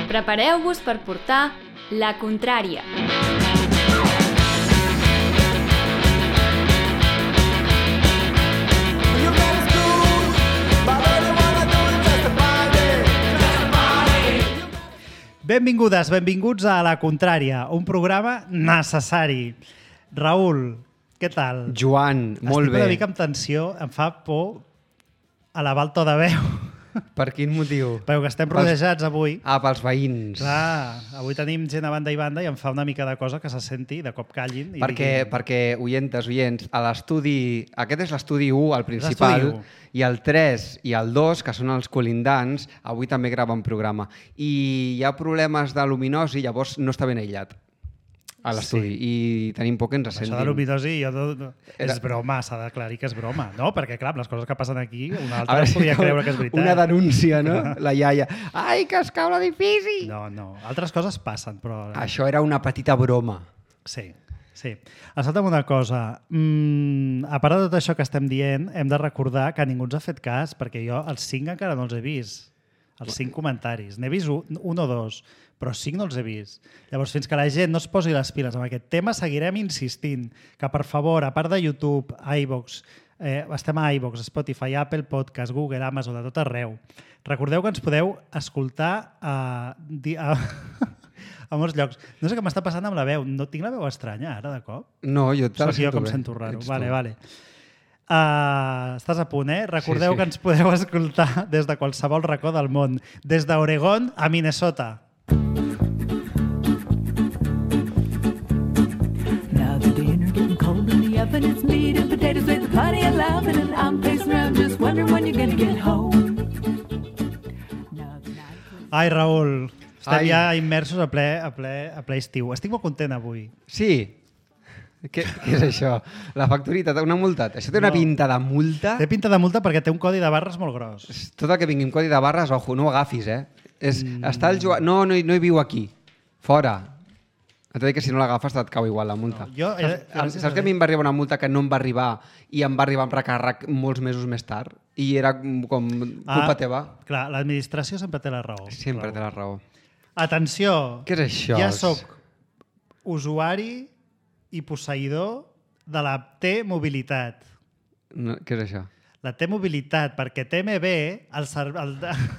Prepareu-vos per portar la contrària. Benvingudes, benvinguts a La Contrària, un programa necessari. Raül, què tal? Joan, molt bé. Estic una mica amb tensió, em fa por elevar el to de veu. Per quin motiu? Perquè estem rodejats avui. Pels veïns. Clar, avui tenim gent a banda i banda i em fa una mica de cosa que se senti, de cop callin. Perquè oients, a l'estudi... Aquest és l'estudi 1, el principal, i el 3 i el 2, que són els colindants, avui també graven programa. I hi ha problemes de luminosi, llavors no està ben aïllat a l'estudi. Sí. I tenim por que ens sentin. Això de luminosi és broma, s'ha d'aclarir que és broma. No, perquè clar, les coses que passen aquí, una altra es podria creure que és veritat. Una denúncia, no? La iaia. Ai, que es cau l'edifici! No. Altres coses passen, però... Això era una petita broma. Sí. Escolta'm una cosa. A part de tot això que estem dient, hem de recordar que ningú ens ha fet cas, perquè jo els 5 encara no els he vist. Els 5 comentaris. N'he vist un o dos, però 5 no els he vist. Llavors, fins que la gent no es posi les piles amb aquest tema, seguirem insistint que, per favor, a part de YouTube, iVoox, estem a iVoox, Spotify, Apple Podcast, Google, Amazon, de tot arreu. Recordeu que ens podeu escoltar a molts llocs. No sé què m'està passant amb la veu. No tinc la veu estranya ara, de cop? No, jo te la sento bé. Jo com sento raro. Vale. Estàs a punt, eh? Recordeu que ens podeu escoltar des de qualsevol racó del món. Des d'Oregon a Minnesota. Now the dinner getting cold in the oven. It's meat and potatoes with plenty of loving. And I'm pacing around just wondering when you're gonna get home. Ai, Raül. Estem ja immersos a ple estiu. Estic molt content avui. Sí. Què és això? La facturita, una multa? Això té una pinta de multa? Té pinta de multa perquè té un codi de barres molt gros. Tot el que vingui amb codi de barres, ojo, no ho agafis, eh? Està el Joan... No hi viu aquí. Fora. Et dic que si no l'agafes et cau igual la multa. Saps que a mi em va arribar una multa que no em va arribar i em va arribar amb recàrrec molts mesos més tard? I era com culpa teva? Clar, l'administració sempre té la raó. Sempre té la raó. Atenció, què és això? Ja soc usuari i posseïdor de la T-Mobilitat. No, què és això? La T-Mobilitat, perquè TMB, el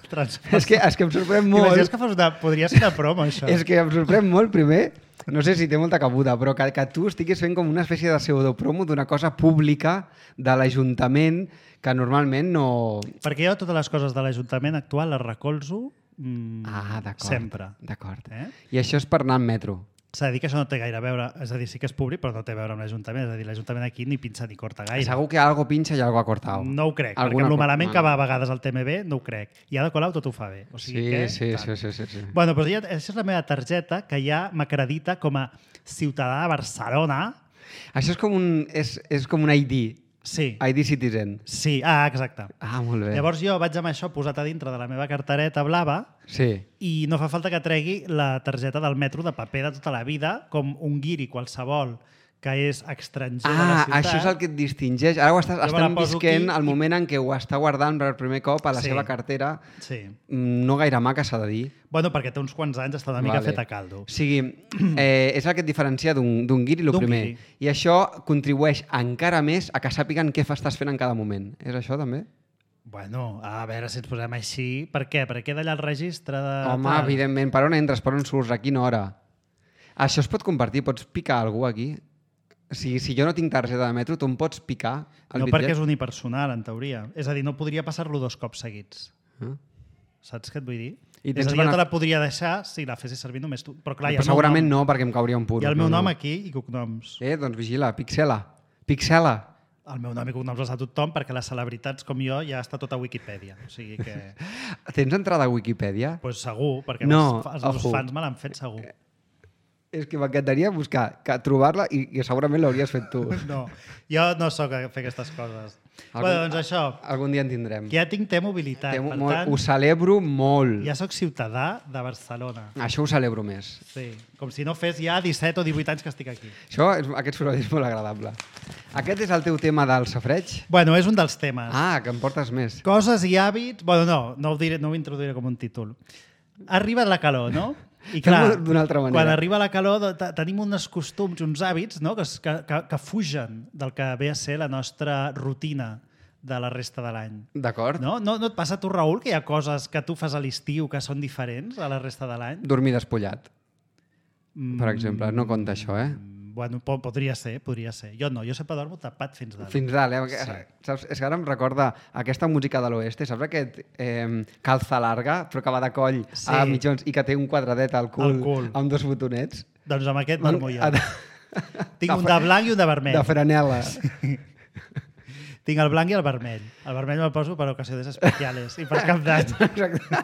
transport... És que em sorprèn molt... Imagines que podria ser una promo, això. És que em sorprèn molt, primer, no sé si té molta cabuda, però que tu estiguis fent com una espècie de pseudopromo d'una cosa pública de l'Ajuntament que normalment no... Perquè jo totes les coses de l'Ajuntament actual les recolzo sempre. D'acord. I això és per anar en metro? S'ha de dir que això no té gaire a veure, és a dir, sí que és públic, però no té a veure amb l'Ajuntament. És a dir, l'Ajuntament aquí ni pinça ni corta gaire. Segur que algo pinxa i algo ha cortat. No ho crec, perquè el malament que va a vegades al TMB no ho crec. I Ada Colau tot ho fa bé. O sigui sí. Bueno, doncs això és la meva targeta que ja m'acredita com a ciutadà de Barcelona. Això és com un ID. Sí. ID Citizen. Sí, exacte. Molt bé. Llavors jo vaig amb això posat a dintre de la meva cartereta blava i no fa falta que tregui la targeta del metro de paper de tota la vida, com un guiri qualsevol que és estranger de la ciutat. Això és el que et distingeix. Ara estem visquent el moment en què ho està guardant per primer cop a la seva cartera. Sí. No gaire maca, s'ha de dir. Bueno, perquè té uns quants anys, està una mica fet a caldo. O sigui, és el que et diferencia d'un guiri, el primer. I això contribueix encara més a que sàpiguen què estàs fent en cada moment. És això, també? Bueno, a veure si ens posem així. Per què? Perquè queda allà el registre de... Home, evidentment. Per on entres? Per on surts? A quina hora? Això es pot compartir? Pots picar algú aquí? Si jo no tinc targeta de metro, tu em pots picar el bitllet? No, perquè és unipersonal, en teoria. És a dir, no podria passar-lo 2 cops seguits. Saps què et vull dir? És a dir, jo te la podria deixar si la fessis servir només tu. Però clar, segurament no, perquè em cauria un puro. Hi ha el meu nom aquí i cognoms. Doncs vigila, pixela. El meu nom i cognoms els ha tothom perquè les celebritats com jo ja està tot a Wikipedia. O sigui que... Tens entrada a Wikipedia? Doncs segur, perquè els meus fans me l'han fet segur. És que m'encantaria buscar, trobar-la i segurament l'hauries fet tu. No, jo no sóc a fer aquestes coses. Doncs això. Algun dia en tindrem. Que ja tinc T-Mobilitat. Ho celebro molt. Ja sóc ciutadà de Barcelona. Això ho celebro més. Sí, com si no fes ja 17 o 18 anys que estic aquí. Aquest soroll és molt agradable. Aquest és el teu tema del safareig? Bueno, és un dels temes. Que em portes més. Coses i hàbits... Bueno, no ho introduiré com un títol. arriba la calor, no? I clar, d'una altra manera. Quan arriba la calor tenim uns costums, uns hàbits, no? que fugen del que ve a ser la nostra rutina de la resta de l'any. D'acord. No et passa a tu, Raül, que hi ha coses que tu fas a l'estiu que són diferents a la resta de l'any? Dormir despullat, per exemple. No compta això, eh? Bueno, podria ser. Jo no, jo sempre dormo tapat fins dalt. Fins dalt, eh? Sí. Saps? És que ara em recorda aquesta música de l'oeste, saps aquest calza larga, però que va de coll a mitjons i que té un quadradet al cul. Amb 2 botonets? Doncs amb aquest dormo jo. Tinc un de blanc i un de vermell. De franel·la. Tinc el blanc i el vermell. El vermell me'l poso per ocasions especials i per Cap d'Any. Exacte.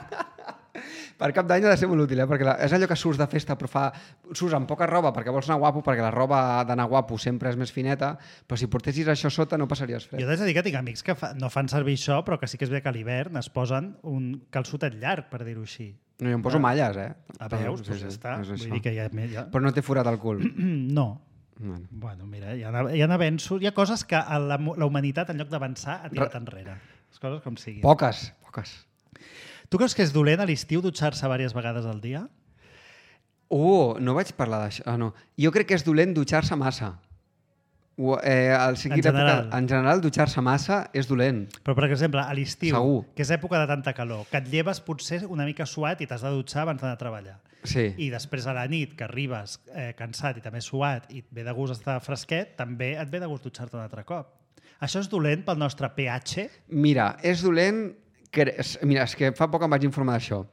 Per Cap d'Any ha de ser molt útil, perquè és allò que surts de festa però surts amb poca roba perquè vols anar guapo, perquè la roba d'anar guapo sempre és més fineta, però si portessis això sota no passaries fred. Jo t'haig de dir que tinc amics que no fan servir això, però que sí que és bé que a l'hivern es posen un calçotet llarg, per dir-ho així. No, jo em poso malles, eh? A veus, doncs ja està. Vull dir que ja... Però no t'he forat el cul. No. Bueno, mira, hi ha avenços, hi ha coses que la humanitat, en lloc d'avançar, ha tirat enrere. Les coses com siguin. Poques. Tu creus que és dolent a l'estiu dutxar-se diverses vegades al dia? No vaig parlar d'això. No. Jo crec que és dolent dutxar-se massa. En general, dutxar-se massa és dolent. Però, per exemple, a l'estiu, Segur. que és època de tanta calor, que et lleves potser una mica suat i t'has de dutxar abans d'anar a treballar. Sí. I després a la nit, que arribes cansat i també suat i et ve de gust estar fresquet, també et ve de gust dutxar-te un altre cop. Això és dolent pel nostre pH? Mira, és dolent... Mira, és que fa poc em vaig informar d'això.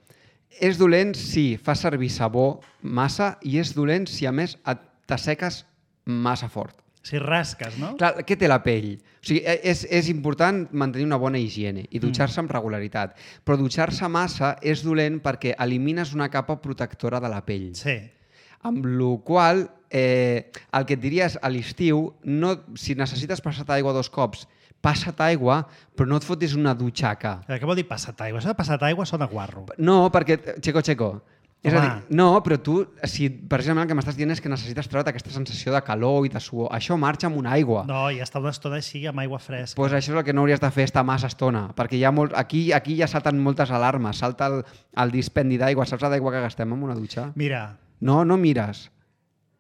És dolent si fas servir sabó massa i és dolent si a més t'asseques massa fort. Si rasques, no? Clar, què té la pell? O sigui, és important mantenir una bona higiene i dutxar-se amb regularitat. Però dutxar-se massa és dolent perquè elimines una capa protectora de la pell. Sí. Amb la qual el que et diria és a l'estiu, si necessites passar-te aigua 2 cops, passa't aigua, però no et fotis una dutxaca. Què vol dir passat aigua? Això de passat aigua sona guarro. No, perquè... Checo. És a dir, no, però tu, si precisament el que m'estàs dient és que necessites treure't aquesta sensació de calor i de suor, això marxa amb una aigua. No, i estar una estona així amb aigua fresca. Doncs això és el que no hauries de fer, estar massa estona, perquè hi ha aquí ja salten moltes alarmes, salta el dispendi d'aigua, saps l'aigua que gastem en una dutxa? Mira. No mires.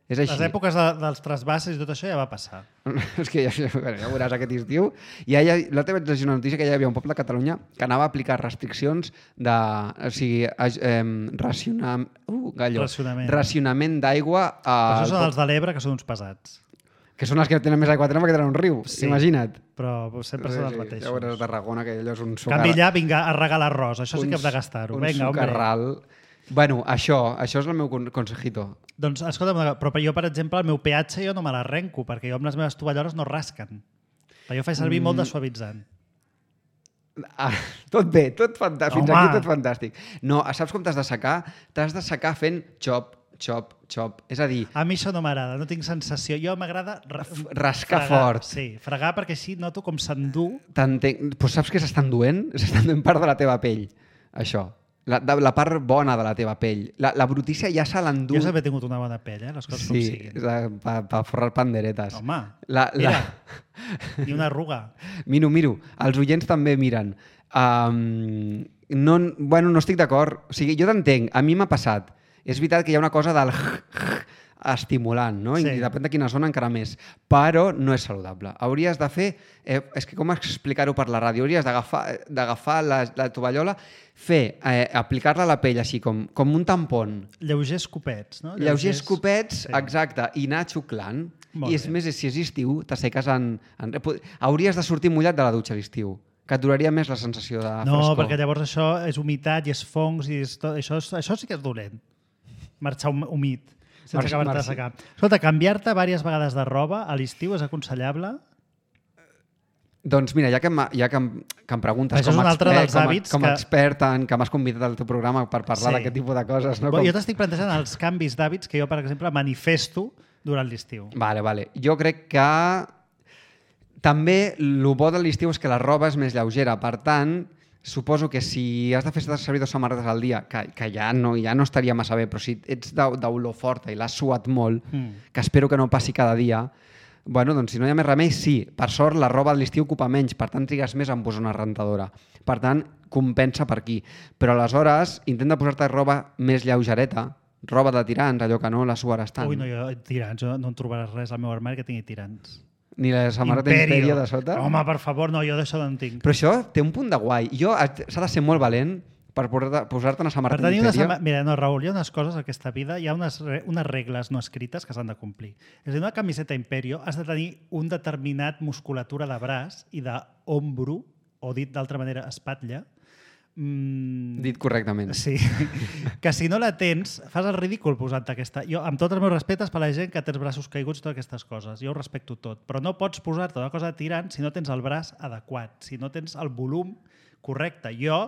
És així. Les èpoques dels trasbasses i tot això ja va passar. És que ja veuràs aquest estiu. L'altre vaig llegir una notícia que ja hi havia un poble de Catalunya que anava a aplicar restriccions de... O sigui, racionament d'aigua... Això són els de l'Ebre, que són uns pesats. Que són els que tenen més aigua tenen perquè tenen un riu, imagina't. Però sempre són els mateixos. Ja veuràs a Tarragona, que allò és un sucarral. Canvi allà, vinga, a regar l'arròs. Això sí que hem de gastar-ho. Un sucarral. Bueno, això és el meu consejito. Doncs, escolta'm, però jo, per exemple, el meu pH jo no me l'arrenco, perquè jo amb les meves tovalloles no rasquen. Jo faig servir molt de suavitzant. Tot bé, fins aquí tot fantàstic. No, saps com t'has de secar? T'has de secar fent xop. És a dir... A mi això no m'agrada, no tinc sensació. Jo m'agrada rascar fort. Sí, fregar perquè així noto com s'endú. Però saps què s'està enduent? S'està enduent part de la teva pell, això. La part bona de la teva pell. La brutícia ja se l'endú. Jo sempre he tingut una bona pell, les coses com siguin. Sí, per forrar panderetes. Home, mira, ni una arruga. Miro. Els oients també miren. No estic d'acord. O sigui, jo t'entenc, a mi m'ha passat. És veritat que hi ha una cosa del estimulant, no? Sí. I depèn de quina zona encara més. Però no és saludable. Hauries de fer... és que com explicar-ho per la ràdio? Hauries d'agafar la tovallola, aplicar-la a la pell així, com un tampon. Lleugers copets, no? Lleugers copets, sí. Exacte, i anar xuclant. I és més, si és estiu, t'asseques hauries de sortir mullat de la dutxa a l'estiu, que et duraria més la sensació de frescor. No, perquè llavors això és humitat i és fongs i això sí que és dolent. Marxar humit, sense acabar-te de secar. Escolta, canviar-te diverses vegades de roba a l'estiu és aconsellable? Doncs mira, ja que em preguntes com a expert que m'has convidat al teu programa per parlar d'aquest tipus de coses... No? Jo t'estic plantejant els canvis d'hàbits que jo, per exemple, manifesto durant l'estiu. Vale. Jo crec que també el bo de l'estiu és que la roba és més lleugera. Per tant, suposo que si has de fer servir 2 samarretes al dia, que ja no estaria massa bé, però si ets d'olor forta i l'has suat molt, que espero que no passi cada dia, Bueno, doncs si no hi ha més remei, sí. Per sort, la roba de l'estiu ocupa menys, per tant trigues més en posar una rentadora. Per tant, compensa per aquí. Però aleshores, intenta posar-te roba més lleugereta, roba de tirants, allò que no la suaràs tant. Ui, no, jo, tirants, no en trobaràs res al meu armari que tingui tirants. Ni la samarreta Imperio de sota? Home, per favor, no, jo d'això no en tinc. Però això té un punt de guai. S'ha de ser molt valent per posar-te una samarreta Imperio. Mira, no, Raül, hi ha unes coses a aquesta vida, hi ha unes regles no escrites que s'han de complir. És a dir, una camiseta Imperio has de tenir un determinat musculatura de braç i d'ombro, o dit d'altra manera, espatlla. Dit correctament. Sí. Que si no la tens, fas el ridícul posant-te aquesta... Jo, amb tots els meus respectes per la gent que té els braços caiguts i totes aquestes coses. Jo ho respecto tot. Però no pots posar-te una cosa de tirant si no tens el braç adequat, si no tens el volum correcte. Jo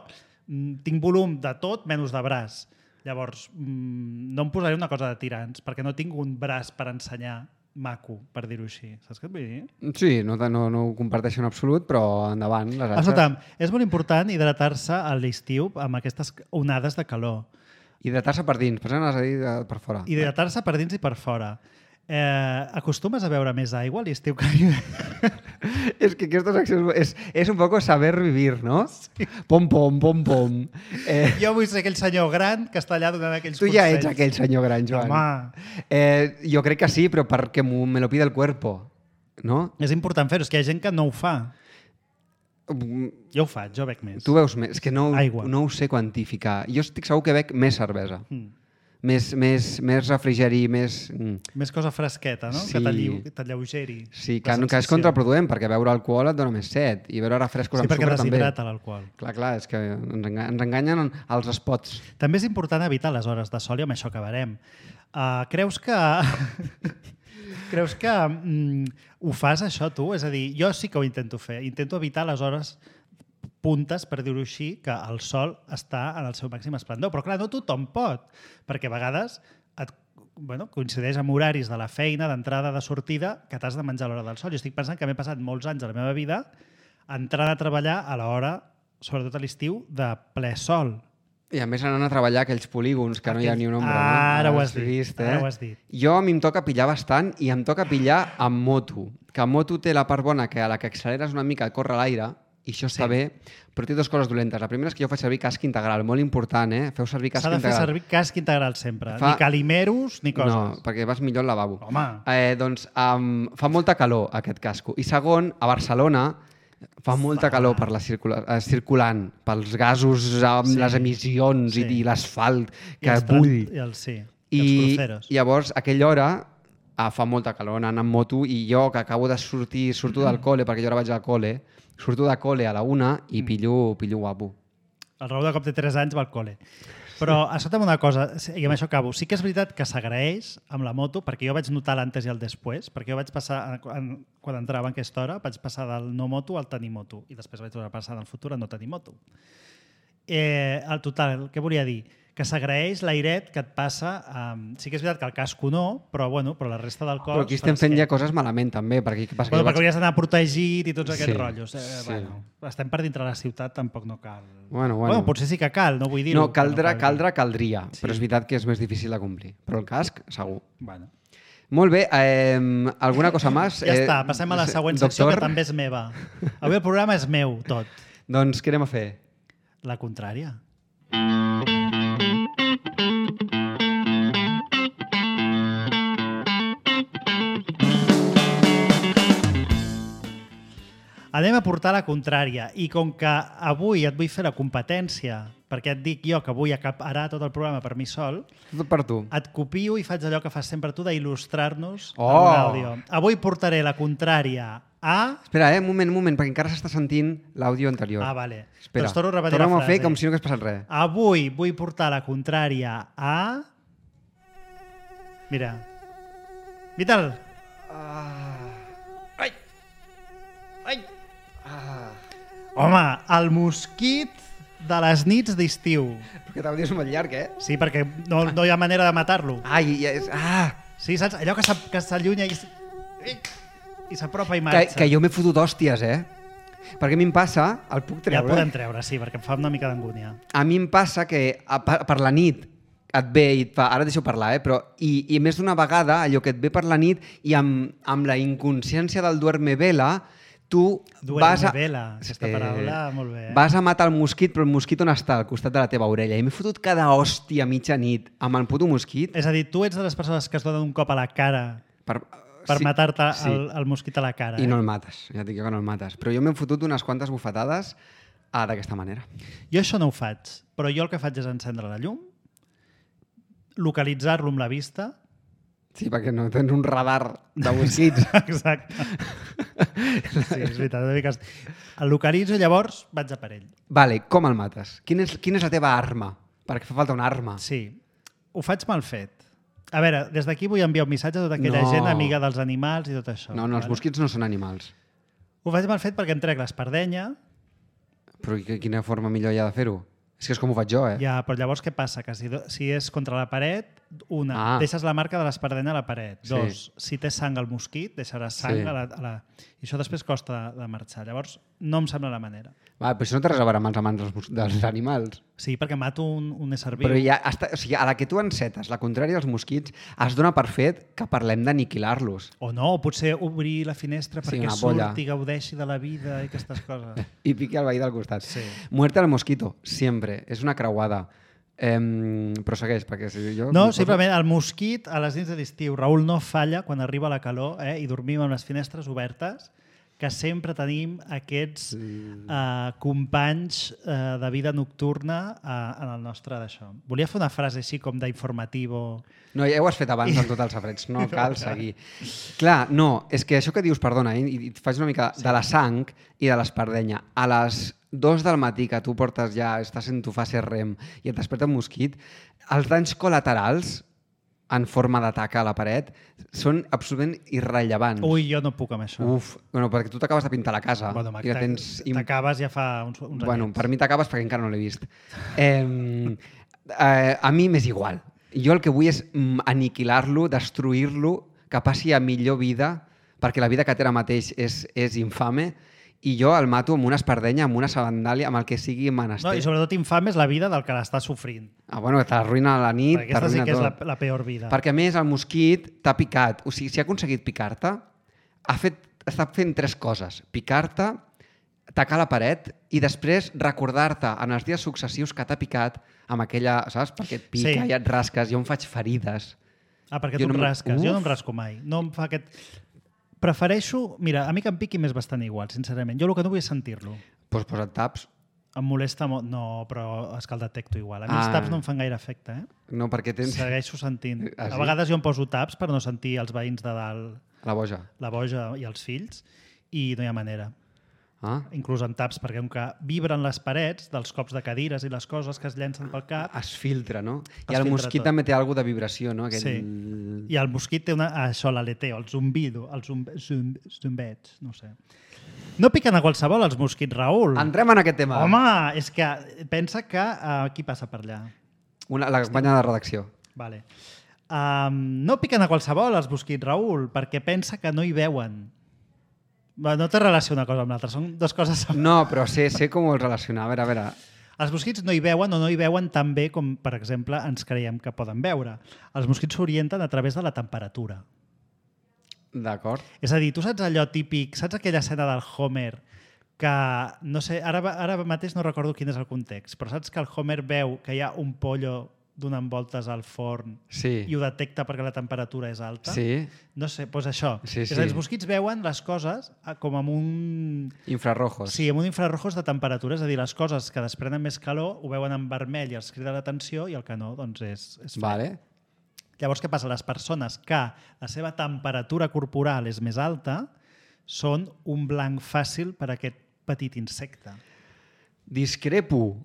tinc volum de tot menys de braç. Llavors, no em posaré una cosa de tirants perquè no tinc un braç per ensenyar maco, per dir-ho així. Saps què et vull dir? Sí, no ho comparteixo en absolut, però endavant. Escolta'm, és molt important hidratar-se a l'estiu amb aquestes onades de calor. Hidratar-se per dins, per exemple, has de dir per fora. Hidratar-se per dins i per fora. Acostumes a beure més aigua a l'estiu que... És que aquestes accions... És un poc saber vivir, no? Sí. Pom, pom, pom, pom. Jo vull ser aquell senyor gran que està allà donant aquells consells. Tu ja ets aquell senyor gran, Joan. Home. Jo crec que sí, però perquè me lo pide el cuerpo, no? És important fer-ho, és que hi ha gent que no ho fa. Jo ho faig, jo bec més. Tu veus més? És que no ho sé quantificar. Jo estic segur que bec més cervesa. Més refrigeri, més... Més cosa fresqueta, no? Sí. Que t'alleugeri. Sí, que és contraproduent, perquè beure alcohol et dona més set, i beure refrescos amb sucre també. Sí, perquè deshidrata l'alcohol. Clar, és que ens enganyen els spots. També és important evitar les hores de sol, i amb això acabarem. Creus que ho fas, això, tu? És a dir, jo sí que ho intento fer. Intento evitar les hores puntes, per dir-ho així, que el sol està en el seu màxim esplendor. Però clar, no tothom pot, perquè a vegades coincideix amb horaris de la feina, d'entrada, de sortida, que t'has de menjar a l'hora del sol. Jo estic pensant que m'he passat molts anys de la meva vida entrant a treballar a l'hora, sobretot a l'estiu, de ple sol. I a més anant a treballar aquells polígons que no hi ha ni un ombra. Ara ho has dit. Jo a mi em toca pillar bastant i em toca pillar amb moto. Que amb moto té la part bona que a la que acceleres una mica et corre l'aire, i això està bé, però té dues coses dolentes. La primera és que jo faig servir casc integral, molt important, Feu servir casc integral. S'ha de fer servir casc integral sempre, ni calimeros ni coses. No, perquè vas millor al lavabo. Home. Doncs fa molta calor aquest casco. I segon, a Barcelona fa molta calor per la circulant, pels gasos, les emissions i l'asfalt que bull. I els cruceros. I llavors, a aquella hora, fa molta calor anant amb moto, i jo que acabo de surto del col·le, perquè jo ara vaig al col·le, surto de col·le a la 1 i pillo guapo. El Raül de cop té 3 anys va al col·le. Però escolta'm una cosa, i amb això acabo. Sí que és veritat que s'agraeix amb la moto, perquè jo vaig notar l'antes i el després, perquè jo vaig passar, quan entrava en aquesta hora, vaig passar del no moto al tenir moto, i després vaig passar en el futur a no tenir moto. Al total, què volia dir? Que s'agraeix l'airet que et passa. Sí que és veritat que el casco no, però la resta del cos... Però aquí estem fent ja coses malament, també. Perquè hauries d'anar protegit i tots aquests rotllos. Estem per dintre la ciutat, tampoc no cal. Bueno, potser sí que cal, no vull dir-ho. No, caldria, però és veritat que és més difícil de complir. Però el casc, segur. Molt bé, alguna cosa més? Ja està, passem a la següent secció, que també és meva. Avui el programa és meu, tot. Doncs què anem a fer? La contrària. Anem a portar la contrària, i com que avui et vull fer la competència, perquè et dic jo que vull acaparar tot el programa per mi sol, tot per tu. Et copio i faig allò que fas sempre tu d'il·lustrar-nos amb un àudio. Avui portaré la contrària a... Espera, un moment, perquè encara s'està sentint l'àudio anterior. Vale. Espera, doncs torno a repetir la frase. Tornem a fer com si no hagués passat res. Avui vull portar la contrària a... Mira. Vital. Ai. Home, el mosquit de les nits d'estiu. Perquè l'àudio és molt llarg, Sí, perquè no hi ha manera de matar-lo. Sí, saps? Allò que s'allunya i s'apropa i marxa. Que jo m'he fotut hòsties, Perquè a mi em passa... El puc treure? Ja el podem treure, sí, perquè em fa una mica d'angúnia. A mi em passa que per la nit et ve i et fa... Ara deixo parlar, però... I més d'una vegada, allò que et ve per la nit i amb la inconsciència del duerme-vela, tu vas a... aquesta paraula, molt bé. Vas a matar el mosquit, però el mosquit on està? Al costat de la teva orella. I m'he fotut cada hòstia a mitja nit amb el puto mosquit. És a dir, tu ets de les persones que es donen un cop a la cara per matar-te el mosquit a la cara. I no el mates, ja et dic jo que no el mates. Però jo m'he fotut unes quantes bufetades d'aquesta manera. Jo això no ho faig, però jo el que faig és encendre la llum, localitzar-lo amb la vista. Sí, perquè no tens un radar de mosquits. Exacte. Sí, és veritat. El localitzo i llavors vaig a per ell. Vale, com el mates? Quina és la teva arma? Perquè fa falta una arma. Sí, ho faig mal fet. A veure, des d'aquí vull enviar un missatge a tota aquella gent amiga dels animals i tot això. No, els mosquits no són animals. Ho faig mal fet perquè em trec l'espardenya. Però quina forma millor hi ha de fer-ho? És que és com ho faig jo, Ja, però llavors què passa? Que si és contra la paret, deixes la marca de l'espardenya a la paret. Sí. 2, si té sang al mosquit, deixaràs sang a la... I això després costa de marxar. Llavors, no em sembla la manera. Va, però això no té res a veure amb els amants dels animals. Sí, perquè mato un ésser viu. Però a la que tu encetes, la contrària als mosquits, es dona per fet que parlem d'aniquilar-los. O no, o potser obrir la finestra perquè surti, gaudeixi de la vida i aquestes coses. I piqui el veí del costat. Sí. Muerte al mosquito, sempre. És una creuada. Però segueix, perquè si jo... No, simplement el mosquit a les nits de l'estiu, Raül, no falla quan arriba la calor i dormim amb les finestres obertes, que sempre tenim aquests companys de vida nocturna en el nostre d'això. Volia fer una frase així com d'informativo... No, ja ho has fet abans amb tots els sabrets, no cal seguir. Clar, no, és que això que dius, perdona, i et faig una mica de la sang i de l'espardenya. A les 2 del matí que tu portes estàs en tu fase REM i et desperta un mosquit, els danys col·laterals en forma d'atac a la paret són absolutament irrellevants. Ui, jo no puc amb això. Bueno, perquè tu t'acabes de pintar la casa. Bueno, t'acabes ja fa uns bueno, per mi t'acabes perquè encara no l'he vist. A mi m'és igual. Jo el que vull és aniquilar-lo, destruir-lo, que passi a millor vida, perquè la vida que té ara mateix és infame, i jo el mato amb una espardenya, amb una sabandàlia, amb el que sigui menester. No, i sobretot infame és la vida del que l'està sofrint. Bueno, t'arruïna la nit, perquè aquesta sí que és la peor vida. Perquè a més el mosquit t'ha picat. O sigui, si ha aconseguit picar-te, està fent 3 coses. Picar-te, tacar la paret i després recordar-te en els dies successius que t'ha picat amb aquella, saps? Perquè et pica i et rasques. Jo em faig ferides. Perquè tu em rasques. Jo no em rasco mai. No em fa aquest... Prefereixo... Mira, a mi que em piqui m'és bastant igual, sincerament. Jo el que no vull és sentir-lo. Doncs posa't taps. Em molesta molt. No, però és que el detecto igual. A mi els taps no em fan gaire efecte, No, perquè tens... Segueixo sentint. A vegades jo em poso taps per no sentir els veïns de dalt... La boja. La boja i els fills, i no hi ha manera. Inclús amb taps, perquè que vibren les parets dels cops de cadires i les coses que es llencen pel cap... Es filtra, no? I el mosquit també té alguna de vibració, no? Sí. I el mosquit té això, l'aleteo, el zumbido, els zumbets, no sé. No piquen a qualsevol els mosquits, Raül. Entrem en aquest tema. Home, és que pensa que... qui passa per allà? La companya de redacció. Vale. No piquen a qualsevol els mosquits, Raül, perquè pensa que no hi veuen. No té relació una cosa amb l'altra, són dues coses... No, però sé com ho vols relacionar. A veure. Els mosquits no hi veuen o no hi veuen tan bé com, per exemple, ens creiem que poden veure. Els mosquits s'orienten a través de la temperatura. D'acord. És a dir, tu saps allò típic, saps aquella escena del Homer que, no sé, ara mateix no recordo quin és el context, però saps que el Homer veu que hi ha un pollo donant voltes al forn i ho detecta perquè la temperatura és alta? Sí. No sé, doncs això. Sí. És a dir, els mosquits veuen les coses com amb un... Infrarrojos. Sí, amb un infrarrojos de temperatura. És a dir, les coses que desprenen més calor ho veuen en vermell i els crida l'atenció i el que no, doncs és fred. Vale. Llavors, què passa? Les persones que la seva temperatura corporal és més alta són un blanc fàcil per a aquest petit insecte. Discrepo.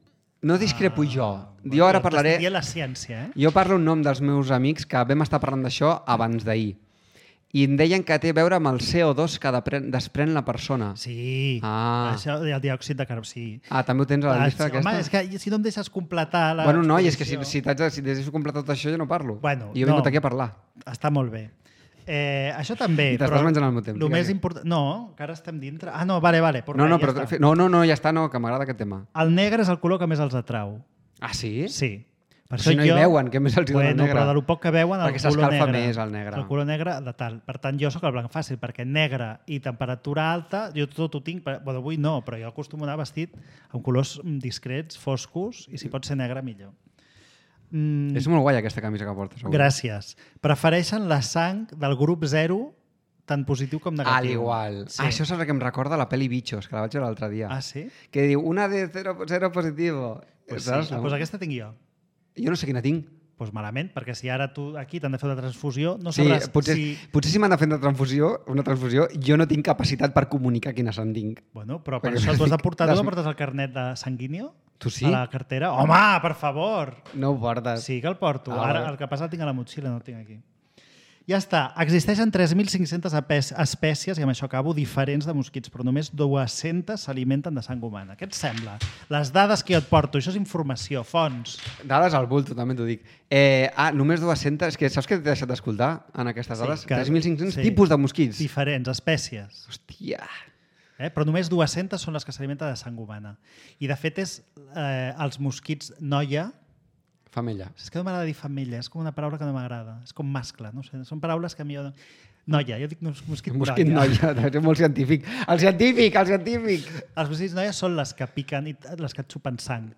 No discrepo jo. Jo ara parlaré... T'estic dient la ciència, Jo parlo en nom dels meus amics que vam estar parlant d'això abans d'ahir. I em deien que té a veure amb el CO2 que desprèn la persona. Sí. Això, el diòxid de carboni, sí. També ho tens a la llista aquesta? Home, és que si no em deixes completar la... Bueno, no, i és que si deixes completar tot això jo no parlo. Bueno, jo he vingut aquí a parlar. Està molt bé. Això també. I t'estàs menjant al meu temps. El més important... No, que ara estem dintre. No, vale. No, ja està, no, que m'agrada aquest tema. El negre és el color que més els atrau. Ah, sí? Sí. Per si no hi veuen, què més els hi dona negre? Però de lo poc que veuen, perquè el color negre. s'escalfa més el negre. El color negre de tal. Per tant, jo sóc el blanc fàcil, perquè negre i temperatura alta, jo tot ho tinc, bueno, avui no, però jo acostumo a anar vestit amb colors discrets, foscos, i si pot ser negre, millor. És molt guai aquesta camisa que portes avui. Gràcies. Prefereixen la sang del grup 0 tant positiu com negatiu. Al igual. Sí. Això saps que em recorda la pel·li Bichos, que la vaig veure l'altre dia. Ah, sí? Que diu, una de 0 positivo. Pues sí, no? Pues aquesta tinc jo. Jo no sé quina tinc. Pues malament, perquè si ara tu aquí t'han de fer una transfusió, no sí, sabràs... Potser si m'han de fer una transfusió, jo no tinc capacitat per comunicar quina se'n tinc. Bueno, però per això tu has de portar... Tu no portes el carnet de sanguíneo? Tu sí? A la cartera? Home, per favor! No ho portes. Sí que el porto. Ara el que passa el tinc a la motxilla, no el tinc aquí. Ja està. Existeixen 3.500 espècies, i amb això acabo, diferents de mosquits, però només 200 s'alimenten de sang humana. Què et sembla? Les dades que jo et porto, això és informació, fonts. Dades al bulto, també t'ho dic. Només 200... És que saps què t'he deixat d'escoltar en aquestes dades? 3.500 tipus de mosquits. Diferents, espècies. Hòstia... Però només 200 són les que s'alimenten de sang humana. I de fet és els mosquits noia... Femella. És que no m'agrada dir femella, és com una paraula que no m'agrada. És com mascle, no sé. Són paraules que a mi... Noia, jo dic mosquit noia. És molt científic. El científic! Els mosquits noia són les que piquen i les que et xupen sang.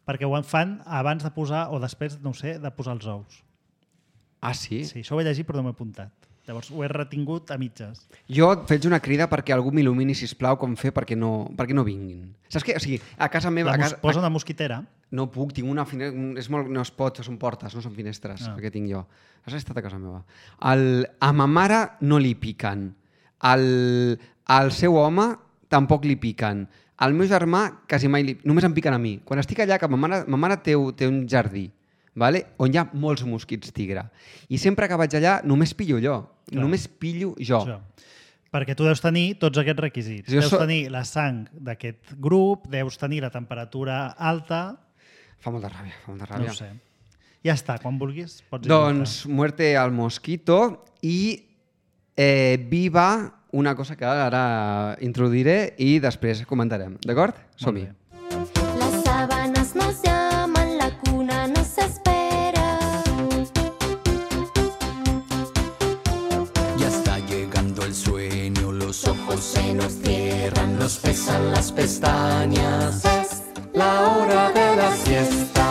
Perquè ho fan abans de posar, o després, no ho sé, de posar els ous. Ah, sí? Sí, això ho he llegit però no m'he apuntat. Llavors ho he retingut a mitges. Jo et faig una crida perquè algú m'il·lumini, sisplau, com fer perquè no vinguin. Saps què? O sigui, a casa meva... Posa una mosquitera. No puc, tinc una finestra... No es pot, són portes, no són finestres, perquè tinc jo. Has estat a casa meva. A ma mare no li piquen. Al seu home tampoc li piquen. Al meu germà quasi mai només em piquen a mi. Quan estic allà, que ma mare té un jardí, vale? On hi ha molts mosquits tigre. I sempre que vaig allà només pillo jo. Clar. Només pillo jo. Perquè tu deus tenir tots aquests requisits. Deus tenir la sang d'aquest grup, deus tenir la temperatura alta... Fa molta ràbia. No ho sé. Ja està, quan vulguis pots doncs muerte al mosquito i viva una cosa que ara introduiré i després comentarem. D'acord? Som-hi. Las sábanas nos llaman, la cuna nos espera. Ya está llegando el sueño, los ojos se nos cierran, nos pesan las pestañas. Es la hora de la siesta.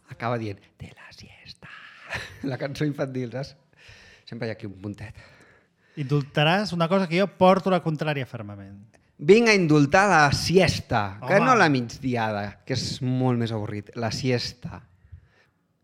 Acaba dient, de la siesta. La cançó infantil, saps? Sempre hi ha aquí un puntet. Indultaràs una cosa que jo porto la contrària fermament. Vinc a indultar la siesta, que no la migdiada, que és molt més avorrit. La siesta.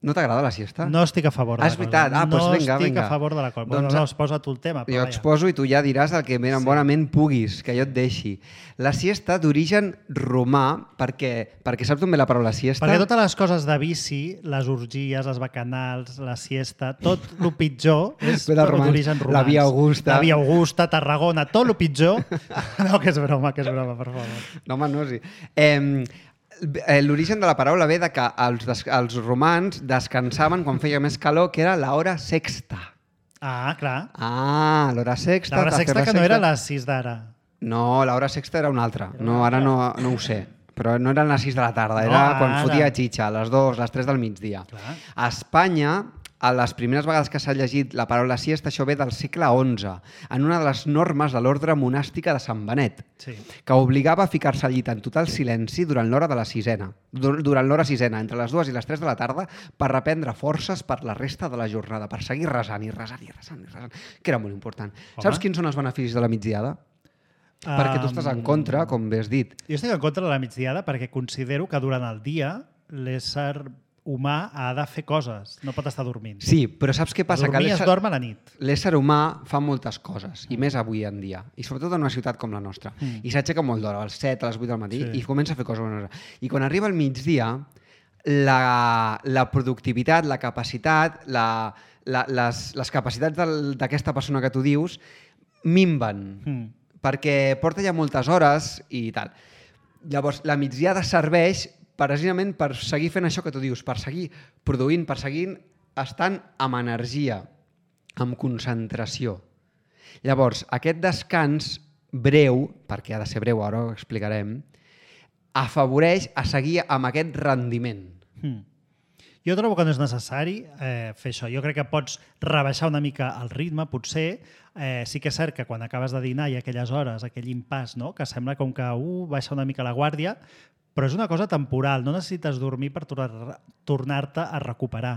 No t'agrada la siesta? No estic a favor de la cosa. És veritat. Doncs vinga. No estic a favor de la cosa. Bueno, no, exposa tu el tema. Jo exposo i tu ja diràs el que bonament puguis, que jo et deixi. La siesta d'origen romà, perquè saps d'on ve la paraula siesta? Perquè totes les coses de vici, les orgies, les bacanals, la siesta, tot el pitjor és d'origen romà. La Via Augusta. La Via Augusta, Tarragona, tot el pitjor. No, que és broma, per favor. No, home, no, sí. L'origen de la paraula ve de que els romans descansaven quan feia més calor, que era l'hora sexta. Ah, clar. L'hora sexta. L'hora sexta que no era les 6 d'ara. No, l'hora sexta era una altra. No, ara no ho sé. Però no eren les 6 de la tarda, era quan fotia xitxa, les 2, les 3 del migdia. Clar. A Espanya, a les primeres vegades que s'ha llegit la paraula siesta, això ve del segle XI, en una de les normes de l'ordre monàstica de Sant Benet, que obligava a ficar-se al llit en total silenci durant l'hora de la sisena, entre les 2 i les 3 de la tarda, per reprendre forces per la resta de la jornada, per seguir resant, que era molt important. Saps quins són els beneficis de la migdiada? Perquè tu estàs en contra, com bé has dit. Jo estic en contra de la migdiada perquè considero que durant el dia l'ésser humà ha de fer coses, no pot estar dormint. Sí, però saps què passa? Dormir es dorm a la nit. L'ésser humà fa moltes coses, i més avui en dia, i sobretot en una ciutat com la nostra. I s'aixeca molt d'hora, als 7, a les 8 del matí, i comença a fer coses. I quan arriba el migdia, la productivitat, la capacitat, les capacitats d'aquesta persona que tu dius minven, perquè porta ja moltes hores i tal. Llavors, la migdiada serveix precisament per seguir fent això que tu dius, per seguir produint, per seguir estant amb energia, amb concentració. Llavors, aquest descans breu, perquè ha de ser breu, ara ho explicarem, afavoreix a seguir amb aquest rendiment. Jo trobo que no és necessari fer això. Jo crec que pots rebaixar una mica el ritme, potser. Sí que és cert que quan acabes de dinar hi ha aquelles hores, aquell impàs, no? Que sembla com que baixa una mica la guàrdia, però és una cosa temporal. No necessites dormir per tornar-te a recuperar.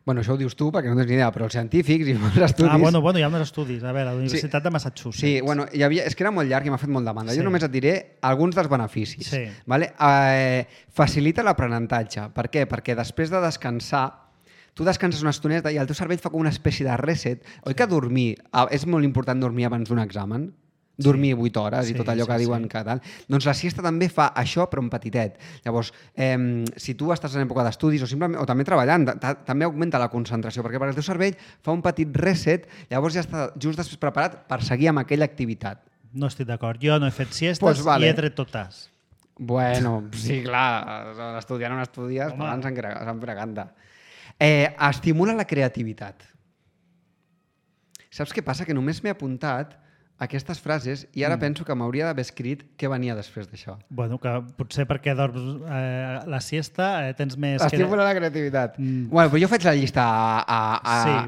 Bueno, això ho dius tu perquè no tens ni idea, però els científics i els estudis... Bueno, hi ha uns estudis. A veure, a la Universitat de Massachusetts. Sí, bueno, és que era molt llarg i m'ha fet molt demanda. Jo només et diré alguns dels beneficis. Sí. Vale? Facilita l'aprenentatge. Per què? Perquè després de descansar, tu descanses una estoneta i el teu cervell fa com una espècie de reset. Oi que dormir, és molt important dormir abans d'un examen? Dormir 8 hores i tot allò que diuen que tal. Doncs la siesta també fa això, però un petitet. Llavors, si tu estàs en època d'estudis o també treballant, també augmenta la concentració, perquè el teu cervell fa un petit reset, llavors ja està just després preparat per seguir amb aquella activitat. No estic d'acord. Jo no he fet siestes i he tret totes. Bueno, sí, clar, estudiant on estudies, parlant se'n preganta. Estimula la creativitat. Saps què passa? Que només m'he apuntat aquestes frases i ara penso que m'hauria d'haver escrit què venia després d'això. Bueno, que potser perquè dorms la siesta tens més... Estimula la creativitat. Bueno, però jo faig la llista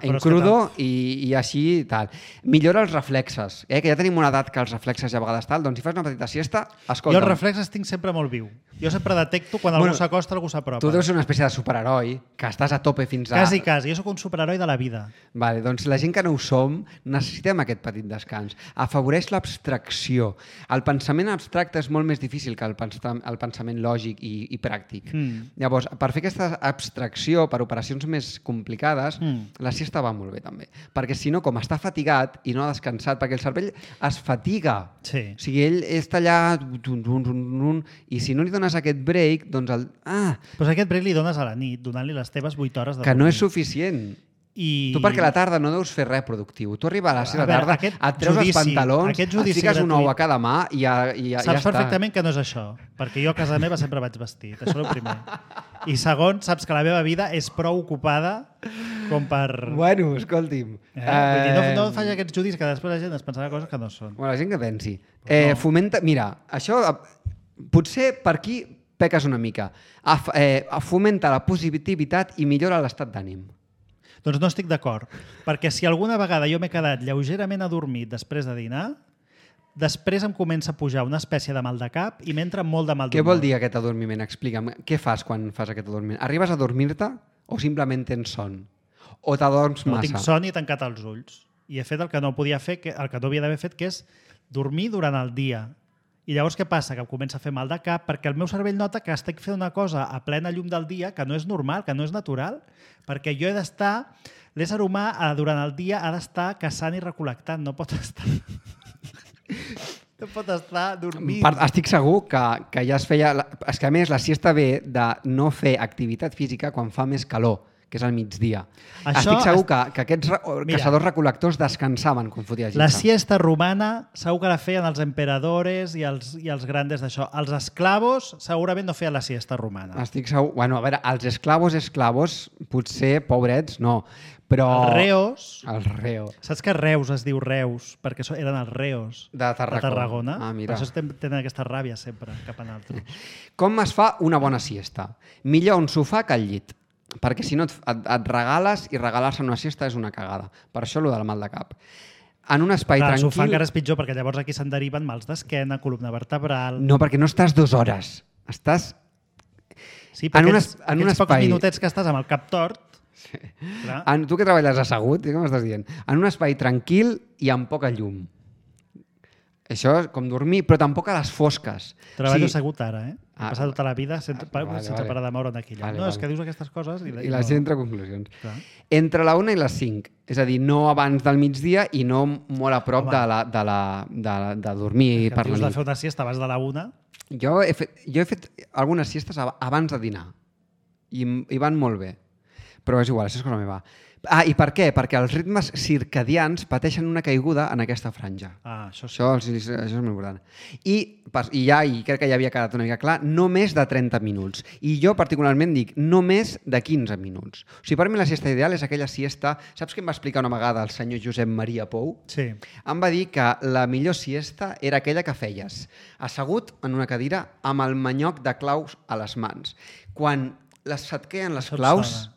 en crudo i així i tal. Millora els reflexes. Que ja tenim una edat que els reflexes ja a vegades tal, doncs si fas una petita siesta, escolta'm. Jo els reflexes tinc sempre molt viu. Jo sempre detecto quan algú s'acosta, algú s'apropa. Tu deus ser una espècie de superheroi, que estàs a tope fins a... Quasi. Jo sóc un superheroi de la vida. Vale, doncs la gent que no ho som necessitem aquest petit descans. Afavoreix l'abstracció. El pensament abstracte és molt més difícil que el pensament lògic i pràctic. Llavors, per fer aquesta abstracció per operacions més complicades, la siesta va molt bé també. Perquè si no, com està fatigat i no ha descansat, perquè el cervell es fatiga. Sí. O sigui, ell està allà i si no li dones aquest break, doncs Però aquest break li dones a la nit, donant-li les teves 8 hores de que no és suficient. Tu perquè a la tarda no deus fer res productiu. Tu arribes a la seva tarda, et treus els pantalons, et fiques un ou a cada mà i ja està. Saps perfectament que no és això, perquè jo a casa meva sempre vaig vestit, això és el primer. I segon, saps que la meva vida és prou ocupada com per... Bueno, escolti'm. No faig aquests judis que després la gent es pensarà coses que no són. Bueno, la gent que pensi. Fomenta... Mira, això potser per aquí peques una mica. Fomenta la positivitat i millora l'estat d'ànim. Doncs no estic d'acord, perquè si alguna vegada jo m'he quedat lleugerament adormit després de dinar, després em comença a pujar una espècie de mal de cap i m'entra molt de mal d'humor. Què vol dir aquest adormiment? Explica'm. Què fas quan fas aquest adormiment? Arribes a dormir-te o simplement tens son? O t'adorms massa? No tinc son i he tancat els ulls. I he fet el que no podia fer, el que no havia d'haver fet, que és dormir durant el dia. I llavors què passa? Que em comença a fer mal de cap perquè el meu cervell nota que estic fent una cosa a plena llum del dia que no és normal, que no és natural, perquè jo he d'estar... L'ésser humà durant el dia ha d'estar caçant i recol·lectant, no pot estar... No pot estar dormint. Estic segur que ja es feia... És que a més la siesta ve de no fer activitat física quan fa més calor, que és al migdia. Estic segur que aquests caçadors recol·lectors descansaven quan fotia gitza. La siesta romana segur que la feien els emperadores i els grandes d'això. Els esclavos segurament no feien la siesta romana. Estic segur... Bueno, a veure, els esclavos, potser, pobrets, no. Però... Els reos. Saps que Reus es diu Reus? Perquè eren els reos de Tarragona. Per això tenen aquesta ràbia sempre cap a altres. Com es fa una bona siesta? Millor un sofà que al llit. Perquè si no et regales i regalar-se una siesta és una cagada. Per això allò del mal de cap. En un espai tranquil... El sofà encara és pitjor perquè llavors aquí se'n deriven mals d'esquena, columna vertebral... No, perquè no estàs 2 hores. Estàs... Sí, però aquests pocs minutets que estàs amb el cap tort... Sí. Tu que treballes assegut, què m'estàs dient? En un espai tranquil i amb poca llum. Això és com dormir, però tampoc a les fosques. Treballo assegut ara, He passat tota la vida sense parar de moure'n d'aquí. És que dius aquestes coses... I la gent treure conclusions. Clar. Entre la 1 i les 5. És a dir, no abans del migdia i no molt a prop de dormir per la nit. Dius de fer una siesta abans de la 1? Jo he fet algunes siestes abans de dinar. I van molt bé. Però és igual, això és cosa meva. I per què? Perquè els ritmes circadians pateixen una caiguda en aquesta franja. Això sí. Això és molt important. I crec que ja havia quedat una mica clar, no més de 30 minuts. I jo particularment dic, no més de 15 minuts. O sigui, per mi la siesta ideal és aquella siesta... Saps què em va explicar una vegada el senyor Josep Maria Pou? Sí. Em va dir que la millor siesta era aquella que feies assegut en una cadira amb el manyoc de claus a les mans. Quan se't queden les claus...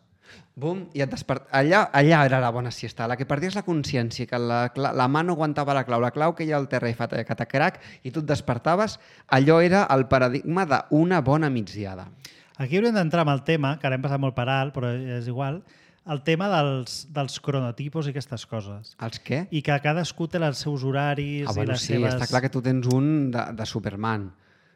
Bum, i et allà era la bona siesta, la que perdies la consciència, que la mà no aguantava la clau que hi ha al terra i fa catacrac, i tu et despertaves, allò era el paradigma d'una bona migdiada. Aquí hauríem d'entrar amb el tema, que ara hem passat molt per alt, però és igual, el tema dels cronotipos i aquestes coses. Els què? I que cadascú té els seus horaris i les seves... Està clar que tu tens un de Superman.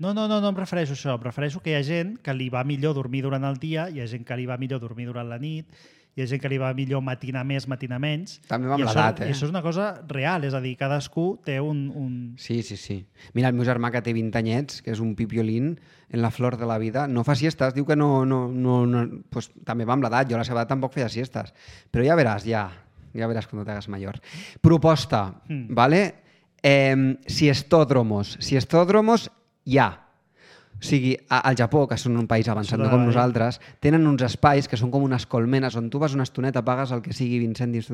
No em refereixo a això. Em refereixo que hi ha gent que li va millor dormir durant el dia, hi ha gent que li va millor dormir durant la nit, hi ha gent que li va millor matinar més, matinar menys. També amb l'edat, I això és una cosa real, és a dir, cadascú té un... Sí. Mira, el meu germà, que té 20 anyets, que és un pipiolín en la flor de la vida, no fa siestes, diu que no pues, també va amb l'edat, jo a la seva edat tampoc feia siestes. Però ja veràs quan te hagas mayor. Proposta, ¿vale? Siestódromos hi ha. O sigui, al Japó, que són un país avançat, no com nosaltres, tenen uns espais que són com unes colmenes on tu vas una estoneta, pagues el que sigui 20 cèntims